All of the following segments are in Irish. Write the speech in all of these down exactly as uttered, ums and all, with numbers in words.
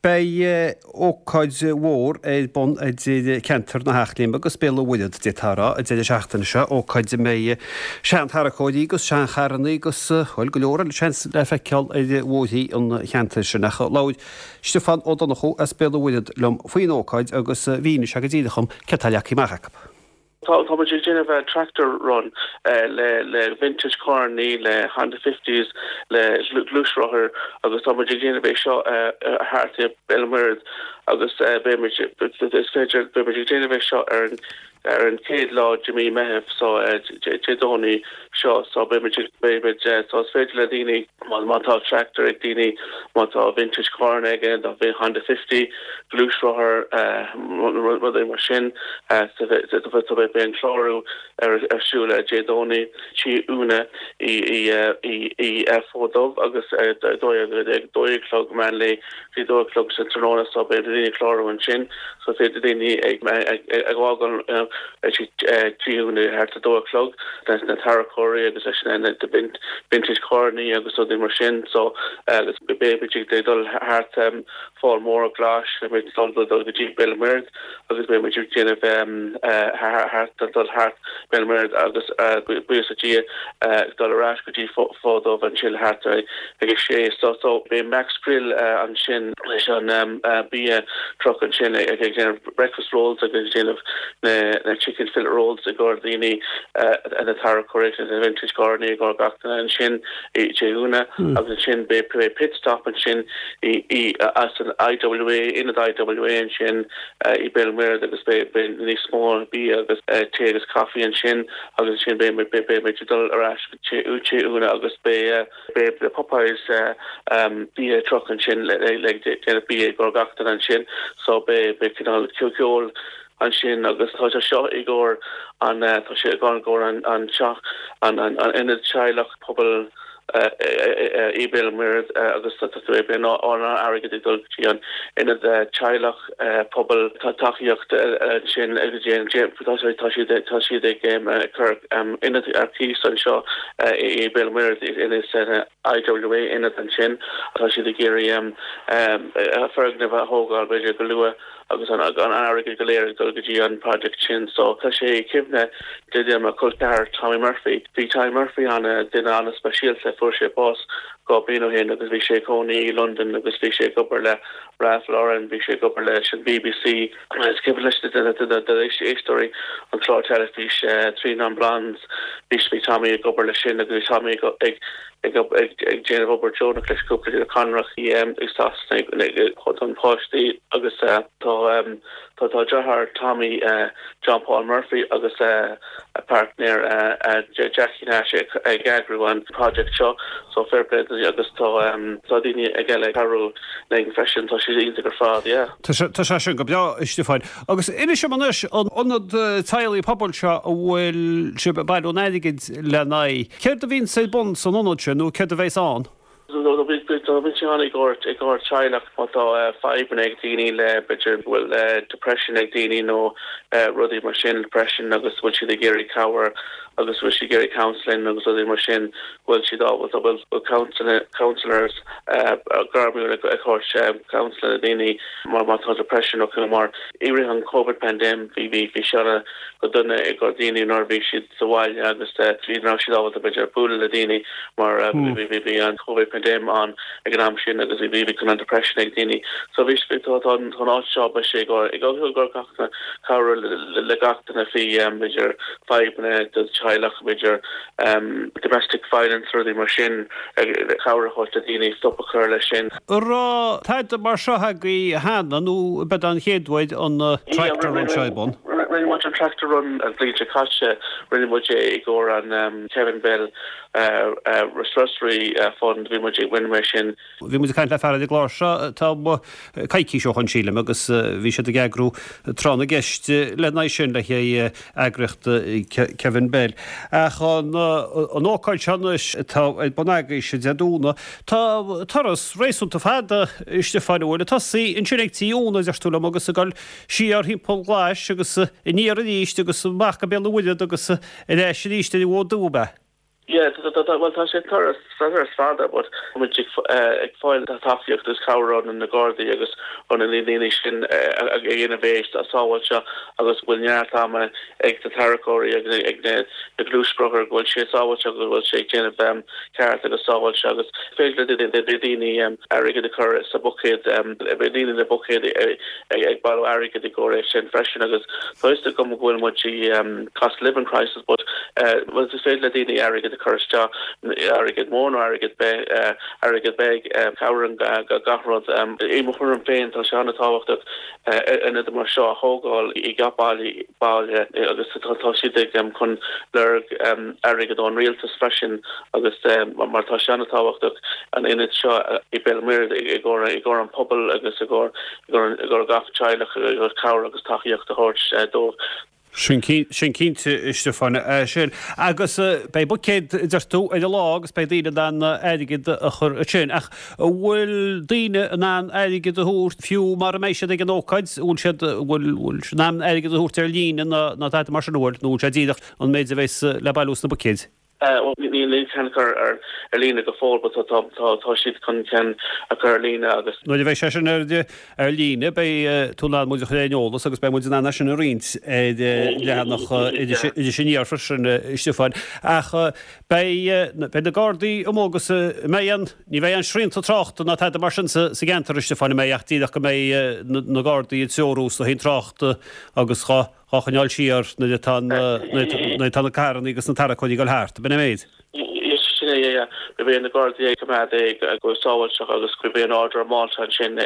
Beidh ócáid mhór ar bun idir ceantar na hEachléime agus Béal an Mhuirthead d'fhéadfá a rá an deireadh seachtaine seo, ócáid a mbeidh sean-tarracóirí agus seancharranna agus, bhuel, go leor eile seans le feiceáil ar bhóithrí an cheantair sin. Ach labhair Stiofán Ó Donnchú as Béal an Mhuirthead liom faoin ócáid agus mhínigh sé go díreach dom céard atá leagtha amach acu. Tá tá muid ag déanamh tractor run le le vintage carrannaí le Honda fifties le gluaisrothair agus tá muid ag déanamh é seo thart i Béal an Mhuirthead agus beimid is féidir beimid ag déanamh é seo ar an ar an chéad lá de mí Meitheamh so Dé Domhnaigh seo so beimid beimid so is féidir le daoine má má tá tractor ag daoine má tá vintage car aige dá bhí Honda fifty gluaisrothar rudaí mar sin beidh an clárú ar ar siúl Dé Domhnaigh Tí Úna i i i i Fód Dubh agus dó dó a chlog meán lae bhí dó a chlog sa tráthnóna so beidh daoine clárú ansin so féidir daoine ag ag ag fhágáil Tí Úna thart a dó a chlog leis na tarracóirí agus leis na na vintage carrannaí agus rudaí mar sin so agus beimid ag dul thart Fál Mór Glas dul dul go dtí Béal an Mhuirthead agus beimid ag déanamh thart dul thart Béal an Mhuirthead agus buíochas le Dia dul ar ais go dtí Fód Dubh ansin thart ag a sé so so beidh Max Grill ansin leis an bia truck ansin ag déanamh breakfast rolls agus déanamh na na chicken fillet rolls i gcomhair daoine na tarracóirí na vintage carrannaí i gcomhair gach duine ansin i Tí Úna agus ansin beidh pit stop ansin i i as an IWA ionad IWA ansin i Béal an Mhuirthead agus beidh níos mó bia agus tae agus caife ansin agus ansin beidh beidh dul ar ais Tí Úna agus beidh beidh the Popeyes bia truck ansin le le déanamh bia i gcomhair gach duine ansin so beidh beidh cineál ceol ansin agus tá sé seo i gcomhair an tá sé i gcomhair an an teach an an ionad teaghlach pobal i Béal an Mhuirthead agus tá an airgead ag dul go dtí an ionad teaghlach pobal tá tacaíocht ansin tá tá siad tá siad ag cur ionad ar cíos anseo i Béal an Mhuirthead in IWA ionad ansin tá siad ag iarraidh foirgneamh a thógáil b'fhéidir go luath agus an an airgead go léir ag dul go dtí an project sin so tá sé cuimhne de mo chol ceathar Tommy Murphy bhí Tommy Murphy an duine an-speisialta fuair sé bás dhá bliain ó shin agus bhí sé ina chónaí i London agus bhí sé ag obair le Ralph Lauren bhí sé ag obair leis an BBC is cuimhin leis éisteoirí an clár teilifís Three Non Blondes bhí bhí Tommy ag obair leis sin agus bhí Tommy ag ag ag déanamh obair deonach leis cúpla conrach i ag Sasana páistí agus tá tá tá deartháir Tommy John Paul Murphy agus a partner Jackie Nash ag eagrú an project seo so fair play agus tá tá daoine ag eile cabhrú linn freisin tá sé iontach ar fad yeah. Tá sé sin go breá Stiofán. Agus inis dom anois an ionad teaghlaigh pobail seo a bhfuil sibh ag bailiú an airgid lena aghaidh. Céard a bhíonn ar bun san ionad sin nó céard a bheas ann? Bhí sé an i gcomhair i gcomhair teaghlach má tá fadhbanna ag daoine le b'fhéidir bhfuil depression ag daoine nó rudaí mar sin depression agus bhfuil siad ag iarraidh cabhair agus bhfuil siad ag iarraidh counseling agus rudaí mar sin bhfuil siad ábalta bhfuil counselors gairmiúil ag tabhairt counseling daoine mar má tá depression ó mar i rith an COVID pandemic bhí bhí bhí sé go dona i gcomhair daoine nuair bhí siad sa bhaile agus bhí ná siad ábalta b'fhéidir bualadh le daoine mar bhí bhí bhí an COVID pandemic an ag an am sin agus bhí bhí chun an depression ag daoine so bhí tá tá an áit seo ba sé go ag go go gach cabhrú le gach duine faoi b'fhéidir fadhbanna do teaghlach b'fhéidir domestic violence rudaí mar sin cabhrú le daoine stop a chur leis sin. Raibh tada mar seo agaibh cheana nó b'é an chéad uair an tractor run seo bun. Rinne muid an tractor run an bhliain seo caite rinne muid é i gcomhair an Kevin Bell Respiratory Fund bhí muid rinne mé sin. Bhí muid ag caint le fear ar an gclár seo tá coicís ó shin sílim agus bhí siad ag eagrú tráth na gceist lena aghaidh sin le haghaidh eagraíocht Kevin Bell. Ach an an ócáid seo anois atá ar bun agaibhse Dé Domhnaigh tá turas réasúnta fada Stiofán bhfuil ag tosaí ansin ag Tí Úna deir tú liom agus ag dul siar thimpeall Ghlais agus aniar arís agus amach go Béal an Mhuirthead agus ar ais arís ar an bhFód Dubh. Yeah, bhuel tá sé turas turas fada, but muid ag fáil tacaíocht agus cabhair ó na Gardaí agus ó na daoine sin ag dhéanamh é sábháilte agus bhfuil neart ama ag na tarracóirí agus ag na na gluaisrothair go bhfuil sé sábháilte go bhfuil sé déanamh ceart agus sábháilte agus féidir le daoine airgead a chur sa buicéad beidh daoine le buicéad ag bailiú airgead i gcomhair sin freisin agus tá go bhfuil muid cost living crisis but well is féidir le daoine airgead a chur isteach airgead mór nó airgead airgead beag cabhraíonn gach rud i mo thuairim féin tá sé an-tábhachtach ionad mar seo a thógáil i gach baile baile agus tá siad ag chun lorg airgead ón rialtas freisin agus mar tá sé an-tábhachtach an ionad seo i Béal Mhuirthead i gcomhair i gcomhair an pobal agus i gcomhair i gcomhair gach teaghlach agus cabhair agus tacaíocht a thabhairt dóibh. Sin cinnte a Stiofáin sin. Agus beidh buicéad deir tú ar an lá agus beidh daoine in ann airgead a chur ansin. Ach an bhfuil daoine in ann airgead a thabhairt fiú mara mbeidh siad ag an ócáid, bhfuil siad bhfuil siad in ann airgead a thabhairt ar líne nó tada mar sin an bhfuil nó bhfuil sé díreach an méid a bheas le bailiú sna buicéid? Níl aon cheann curtha ar ar líne go fóill but tá tá tá siad chun ceann a chur ar líne agus. Nuair a bheidh sé sin ar ar líne beidh tú in ann muid a chur ar an eolas agus beidh muid in ann é sin a roinnt ar leathanach Iris Aniar freisin a Stiofáin. Ach beidh beidh na Gardaí amuigh agus an mbeidh aon ní bheidh aon srianta tráchta ná tada mar sin sa sa gceantar a Stiofáin an mbeidh ach díreach go mbeidh na Gardaí ag treorú sna haon tráchta agus dhá dhá choinneáil siar nuair atá nuair atá na carranna agus na tarracóirí ag dul thart, ab in an méid? Sin é, yeah. Beidh na Gardaí ag coimeád é go sábháilte agus beidh an Order of Malta ansin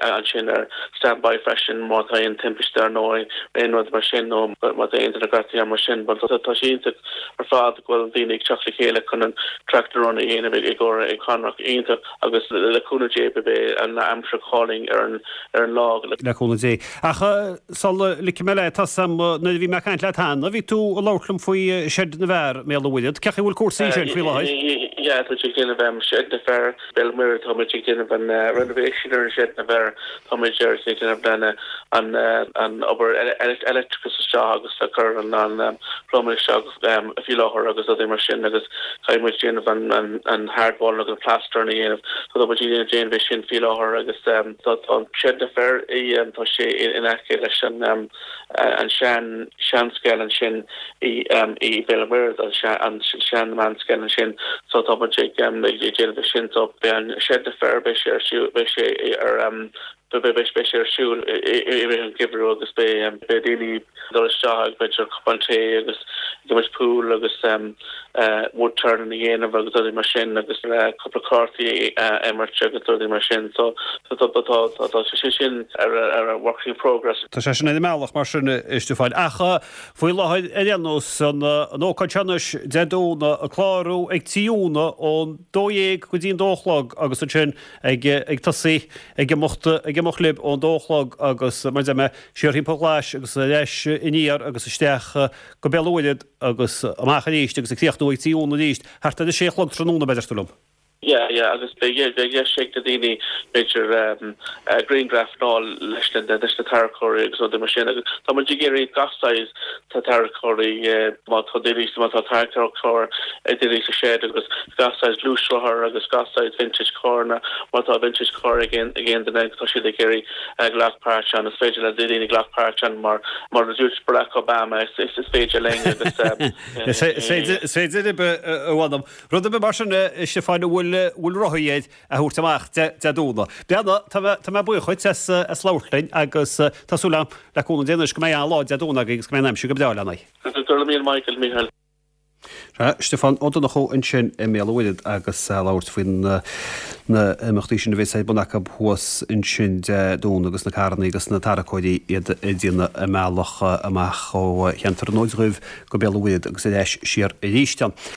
ansin ar standby freisin má tá aon timpiste ar nó aon rud mar sin nó má tá aon duine gortaithe mar sin. But tá sé iontach ar fad go bhfuil daoine ag teacht le chéile chun an tractor run a dhéanamh i gcomhair ag Conrock iontach agus le cúnamh Dé beidh an aimsir go hálainn ar an ar an lá. Le cúnamh Dé. Ach sula ligfidh mé leat, tá 'fhios a'm nuair a bhí mé ag caint leat cheana, bhí tú ag labhairt liom faoi Seid na bhFear i mBéal an Mhuirthead. Cén chaoi a bhfuil cúrsaí ansin faoi láthair? Yeah, tá muid ag déanamh Seid na bhFear, Béal Muirthead, tá muid ag déanamh an renovation ar an Seid na bhFear, tá muid ar ag déanamh an an obair electricus isteach agus ag cur an an plumbing isteach faoi láthair agus rudaí mar sin agus caithfidh muid déanamh an an an hard wall agus an plaster a dhéanamh. So tá muid ag déanamh é sin faoi láthair agus tá an Seid na bhFear tá sé in aice leis an an sean seanscoil ansin i i Béal Muirthead an sean meánscoil ansin so tá muid ag ag déanamh é sin so beidh an Seid na bhFear beidh sé ar siúl beidh sé ar beidh beidh sé ar siúl i rith an gheimhridh agus beidh beidh daoine dul isteach ag b'fhéidir cupán tae agus ag imirt pool agus wood turning a dhéanamh agus rudaí mar sin agus cúpla cártaí a imirt agus rudaí mar sin so tá tá tá sé sin ar ar work in progress. Tá sé sin ar an mbealach mar sin a Stiofáin. Ach faoi láthair ar aon nós an ócáid seo anois Dé Domhnaigh ag clárú ag Tí Úna ón dó dhéag go dtí an dó a chlog agus ansin ag ag tosaí ag imeacht ag imeacht libh ón dó a chlog agus mar a deir mé siar thimpeall Ghlais agus ar ais aniar agus isteach go Béal an Mhuirthead agus amach arís agus ag críochnú ag Tí Úna arís thart ar a sé a chlog tráthnóna b'fhéidir tú liom. Yeah, yeah, agus beidh beidh deis ag na daoine b'fhéidir grianghraf a fháil leis na leis na tarracóirí agus rudaí mar sin agus tá muid ag iarraidh gach saghas tarracóirí má tá daoine má tá tarracóir ag daoine sa shed agus gach saghas gluaisrothar agus gach saghas vintage carranna má tá vintage car ag aon ag aon duine tá siad ag iarraidh glacadh páirt ann is féidir le daoine glacadh páirt ann mar mar a dúirt Barack Obama is is is féidir linn agus Is féidir is féidir libh a mh'anam. Rud ar bith mar sin a Stiofáin a bhfuil bhfuil rothaí air a thabhairt amach Dé Domhnaigh. Breathnaigh, tá mé tá mé buíoch dhuit as as labhairt linn agus tá súil agam le cúnamh Dé anois go mbeidh an-lá Dé Domhnaigh agaibh agus go mbeidh an aimsir go breá lena aghaidh. Go raibh míle maith agat, Mícheál. Sea, Stiofán Ó Donnchú ansin i mBéal an Mhuirthead agus ag labhairt faoi na himeachtaí sin a bheas ar bun acu thuas ansin Dé Domhnaigh agus na carranna agus na tarracóirí iad ag déanamh a mbealach amach ó cheantar an Fhóid Dhuibh go Béal an Mhuirthead agus ar ais siar arís ann.